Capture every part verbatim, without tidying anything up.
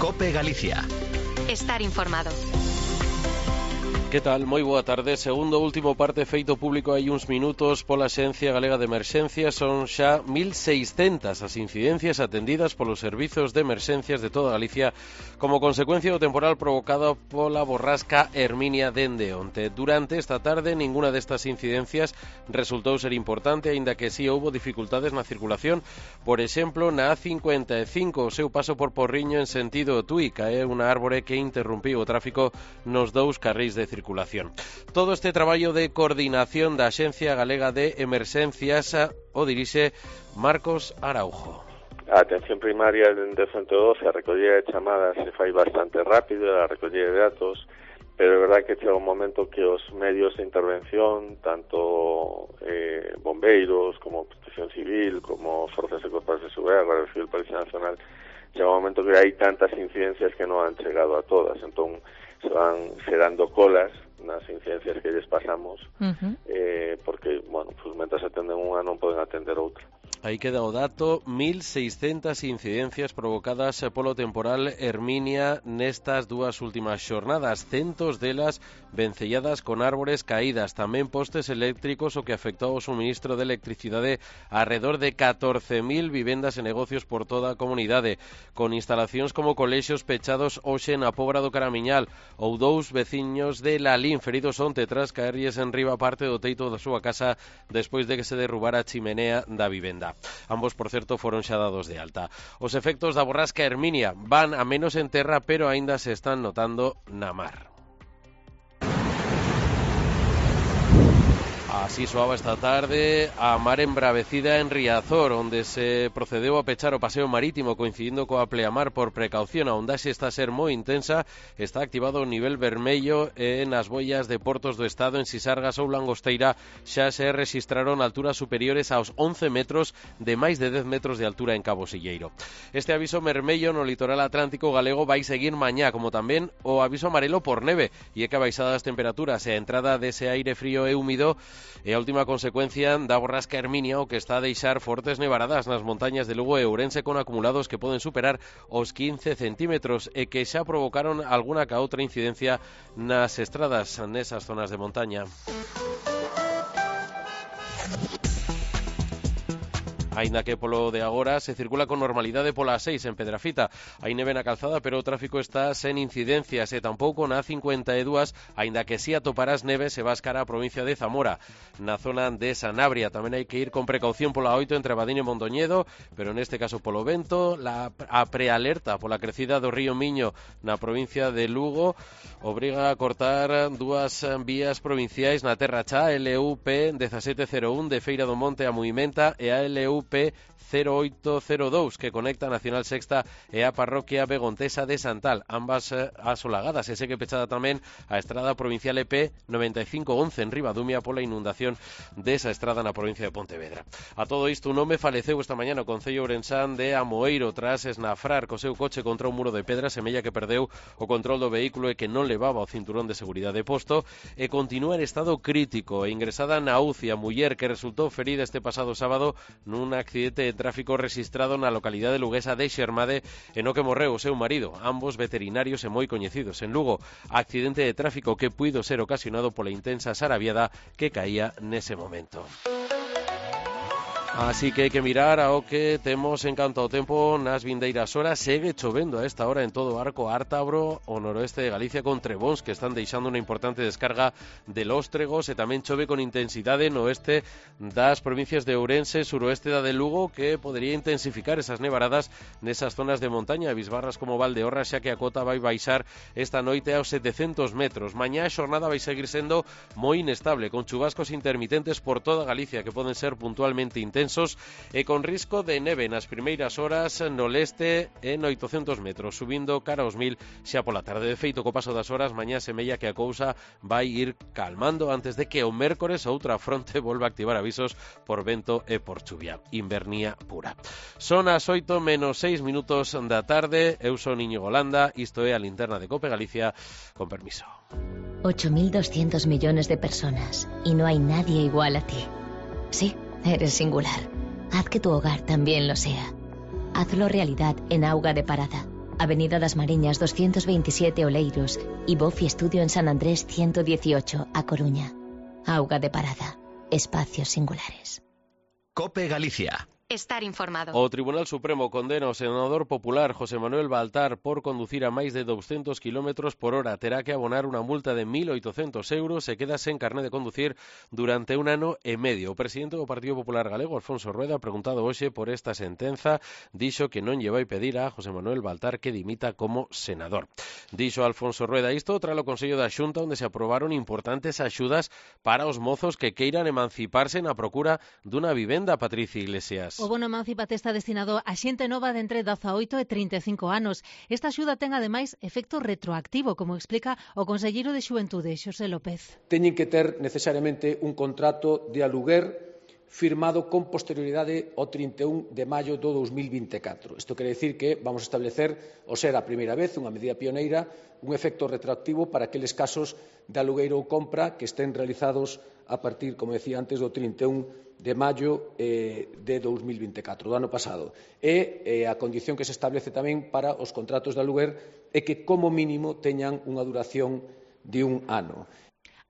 COPE Galicia. Estar informado. Que tal? Moi boa tarde. Segundo último parte feito público hai uns minutos pola Axencia Galega de Emerxencias. Son xa mil seiscentas as incidencias atendidas polos servizos de emerxencias de toda Galicia como consecuencia do temporal provocado pola borrasca Herminia dende onte. Durante esta tarde, ninguna destas incidencias resultou ser importante, aínda que si houbo dificultades na circulación. Por exemplo, na A cincuenta e cinco, o seu paso por Porriño en sentido Tui, cae unha árbore que interrumpiu o tráfico nos dous carrís de circulación. Todo este traballo de coordinación da Axencia Galega de Emerxencias o dirixe Marcos Araujo. A atención primaria dende o ciento doce, a recollida de chamadas se fai bastante rápido, a recollida de datos, pero é verdade que chega un momento que os medios de intervención, tanto eh, bombeiros, como protección civil, como forzas de corpos de seguridade, Guardia Civil, Policía Nacional, chega un momento que hai tantas incidencias que non han chegado a todas, entón se van xerando colas nas incidencias que lles pasamos, uh-huh. eh, porque, bueno, pues, mentras atenden unha non poden atender outra. Aí queda o dato, mil seiscentas incidencias provocadas polo temporal Herminia nestas dúas últimas xornadas, centos delas vencelladas con árbores caídas, tamén postes eléctricos, o que afectou o suministro de electricidade a redor de catorce mil vivendas e negocios por toda a comunidade, con instalacións como colexios pechados hoxe na Pobra do Caramiñal, ou dous veciños de Lalín feridos onte tras caerlles en riba parte do teito da súa casa despois de que se derrubara a chimenea da vivenda. Ambos, por certo, foron xa dados de alta. Os efectos da borrasca Herminia van a menos en terra, pero aínda se están notando na mar. Así soaba esta tarde a mar embravecida en Riazor, onde se procedeu a pechar o paseo marítimo coincidindo coa pleamar por precaución. A ondaxe está a ser moi intensa, está activado o nivel vermello e nas boias de portos do estado en Sisargas ou Langosteira xa se rexistraron alturas superiores aos once metros, de máis de dez metros de altura en Cabo Silleiro. Este aviso vermello no litoral atlántico galego vai seguir mañá, como tamén o aviso amarelo por neve, e é que a baixada das temperaturas e a entrada dese aire frío e húmido e a última consecuencia da borrasca Herminia, o que está a deixar fortes nevaradas nas montañas de Lugo e Ourense con acumulados que poden superar os quince centímetros e que xa provocaron alguna ca outra incidencia nas estradas nesas zonas de montaña. Aínda que polo de agora se circula con normalidade pola A seis en Pedrafita. Hai neve na calzada, pero o tráfico está sen incidencias e tampouco na A cincuenta e dous, aínda que si atoparás neve se vas cara á provincia de Zamora. Na zona de Sanabria tamén hai que ir con precaución pola oito entre Abadín e Mondoñedo, pero neste caso polo vento. La, a prealerta pola crecida do río Miño na provincia de Lugo obriga a cortar dúas vías provinciais na Terra Chá, L U P dezasete cero un de Feira do Monte a Muimenta e a L U P cero oito cero dous que conecta a Nacional Sexta e a parroquia begontesa de Santal, ambas eh, asolagadas, e segue pechada tamén a estrada provincial E P noventa e cinco once en Ribadumia pola inundación desa estrada na provincia de Pontevedra. A todo isto, un home faleceu esta mañá no concello ourensán de Amoeiro tras esnafrar co seu coche contra un muro de pedra, semella que perdeu o control do vehículo e que non levaba o cinturón de seguridade posto, e continúa en estado crítico e ingresada na U C I a muller que resultou ferida este pasado sábado nun accidente de tráfico registrado na localidade luguesa de Xermade e no que morreu o seu marido, ambos veterinarios e moi coñecidos en Lugo. Accidente de tráfico que puido ser ocasionado pola intensa sarabiada que caía nese momento. Así que hai que mirar ao que temos en canto ao tempo nas vindeiras horas. Segue chovendo a esta hora en todo o arco ártabro, o noroeste de Galicia, con trebóns que están deixando unha importante descarga de lóstregos, e tamén chove con intensidade no oeste das provincias de Ourense, suroeste da de Lugo, que podería intensificar esas nevaradas nesas zonas de montaña, bisbarras como Valdeorras, xa que a cota vai baixar esta noite aos setecentos metros. Mañá a xornada vai seguir sendo moi inestable, con chubascos intermitentes por toda Galicia que poden ser puntualmente intensos e con risco de neve nas primeiras horas no leste en oitocentos metros, subindo cara aos mil xa pola tarde. De feito, co paso das horas, mañá semella que a cousa vai ir calmando antes de que o mércores outra fronte volva a activar avisos por vento e por chuvia. Invernía pura. Son as oito menos seis minutos da tarde. Eu son Íñigo Landa, isto é a linterna de COPE Galicia, con permiso. ocho mil doscientos millones de personas y no hay nadie igual a ti. Sí, eres singular. Haz que tu hogar también lo sea. Hazlo realidad en Auga de Parada. Avenida das Mariñas doscientos veintisiete Oleiros y Bofi Estudio en San Andrés ciento dieciocho, A Coruña. Auga de Parada. Espacios singulares. COPE Galicia. Estar informado. O Tribunal Supremo condena ao senador popular José Manuel Baltar por conducir a máis de doscientos kilómetros por hora. Terá que abonar unha multa de mil oitocentos euros e queda sen carné de conducir durante un ano e medio. O presidente do Partido Popular Galego, Alfonso Rueda, preguntado hoxe por esta sentenza, dixo que non lle vai pedir a José Manuel Baltar que dimita como senador. Dixo Alfonso Rueda isto tras o Consello da Xunta, onde se aprobaron importantes axudas para os mozos que queiran emanciparse na procura dunha vivenda. Patricia Iglesias. O bono emancipate está destinado a xente nova de entre dezaoito e trinta e cinco anos. Esta axuda ten ademais efecto retroactivo, como explica o conselleiro de Xuventude, Xosé López. Teñen que ter necesariamente un contrato de aluguer firmado con posterioridade ao trinta e un de maio do dous mil vinte e catro. Isto quere dicir que vamos a establecer, o ser a primeira vez, unha medida pioneira, un efecto retroactivo para aqueles casos de alugueiro ou compra que estén realizados a partir, como decía antes, do trinta e un de maio eh, de dous mil vinte e catro, do ano pasado. E eh, a condición que se establece tamén para os contratos de aluguer é que, como mínimo, teñan unha duración de un ano.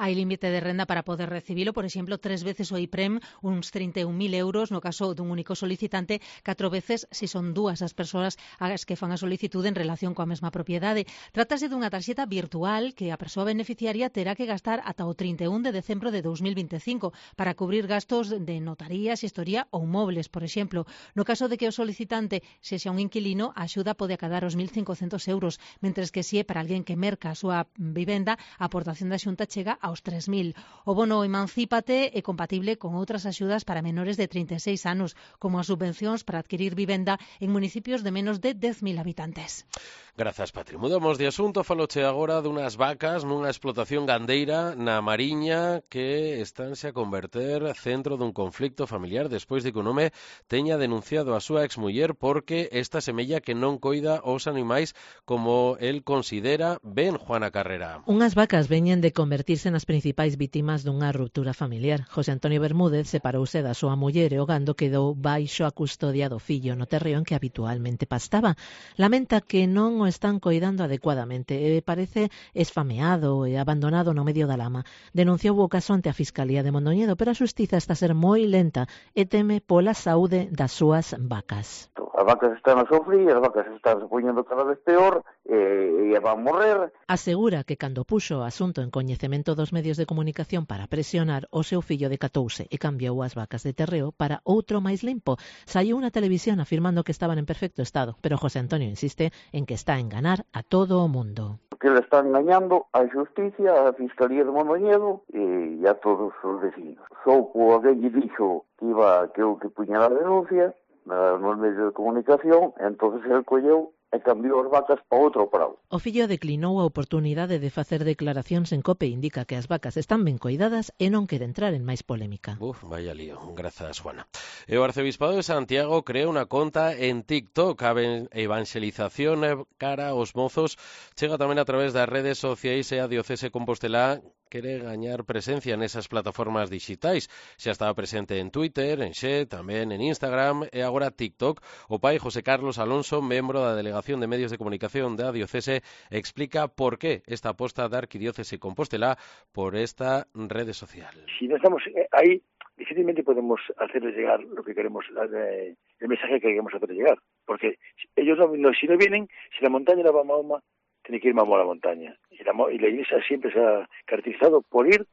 Hai límite de renda para poder recibilo, por exemplo, tres veces o I P R E M, uns trinta e un mil euros no caso dun único solicitante, catro veces se son dúas as persoas as que fan a solicitude en relación coa mesma propiedade. Trátase dunha tarxeta virtual que a persoa beneficiaria terá que gastar ata o trinta e un de decembro de dous mil vinte e cinco para cubrir gastos de notaría, xestoría ou mobles, por exemplo. No caso de que o solicitante sexa un inquilino, a axuda pode acadar os mil cincocentos euros, mentres que se é para alguén que merca a súa vivenda, a aportación da Xunta chega a aos tres mil. O bono Emancípate é compatible con outras axudas para menores de trinta e seis anos, como as subvencións para adquirir vivenda en municipios de menos de dez mil habitantes. Grazas, Patri. Mudamos de asunto, faloche agora dunhas vacas nunha explotación gandeira na Mariña que estánse a converter centro dun conflicto familiar despois de que un home teña denunciado a súa exmuller porque esta semella que non coida os animais como el considera. Ben, Juana Carrera. Unhas vacas veñen de convertirse nas principais vítimas dunha ruptura familiar. José Antonio Bermúdez separouse da súa muller e o gando quedou baixo a custodia do fillo no terreo en que habitualmente pastaba. Lamenta que non o están coidando adecuadamente e parece esfameado e abandonado no medio da lama. Denunciou o caso ante a Fiscalía de Mondoñedo, pero a xustiza está a ser moi lenta e teme pola saúde das súas vacas. As vacas están a sofrir, as vacas están se poñendo cada vez peor e, e van morrer. Asegura que cando puxo o asunto en coñecemento dos medios de comunicación para presionar, o seu fillo decatouse e cambiou as vacas de terreo para outro máis limpo. Saiu unha televisión afirmando que estaban en perfecto estado, pero José Antonio insiste en que está a enganar a todo o mundo. Que le están engañando a Xusticia, a Fiscalía de Mondoñedo e a todos os vecinos. Souco alguén lle dixo que iba que eu que puña a denuncia nos medios de comunicación, entonces el colleu e cambiou as vacas para outro prado. O fillo declinou a oportunidade de facer declaracións en COPE e indica que as vacas están ben coidadas e non quere entrar en máis polémica. Uf, vaya lío. Grazas, Juana. E o Arcebispado de Santiago crea unha conta en TikTok. A evangelización cara aos mozos chega tamén a través das redes sociais e a Diocese Compostelá quere gañar presencia nesas plataformas digitais. Xa estaba presente en Twitter, en Xe, tamén en Instagram e agora TikTok. O pai José Carlos Alonso, membro da Delegación de Medios de Comunicación da Diocese, explica por qué esta aposta da Arquidiócese Compostelá por esta rede social. Si no estamos ahí, difícilmente podemos hacerles llegar lo que queremos, el mensaje que queremos hacerles llegar. Porque ellos no, no, si no vienen, si la montaña la va a Mahoma, tiene que ir Mahoma a la montaña. Y la, y la Iglesia siempre se ha caracterizado por ir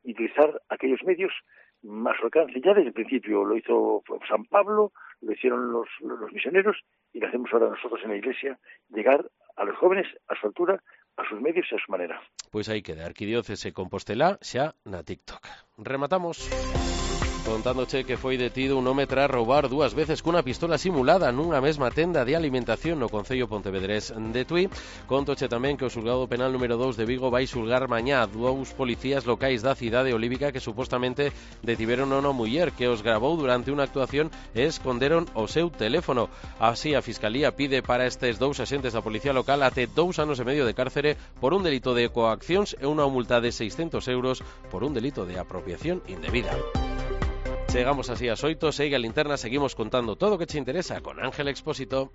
y utilizar aquellos medios más al alcance. Ya desde el principio lo hizo San Pablo, lo hicieron los, los misioneros y lo hacemos ahora nosotros en la Iglesia, llegar a los jóvenes a su altura, a sus medios y a su manera. Pois aí queda Arquidiócese Compostelá xa na TikTok. Rematamos contándoche que foi detido un home tras roubar dúas veces cunha pistola simulada nunha mesma tenda de alimentación no concello pontevedrés de Tui. Contoche tamén que o xulgado penal número dous de Vigo vai xulgar mañá dous policías locais da cidade olívica que supostamente detiveron a unha muller que os grabou durante unha actuación e esconderon o seu teléfono. Así, a Fiscalía pide para estes dous axentes da policía local até dous anos e medio de cárcere por un delito de coaccións e unha multa de seiscentos euros por un delito de apropiación indebida. Chegamos así ás oito, segue a linterna, seguimos contando todo o que che interesa con Ángel Expósito.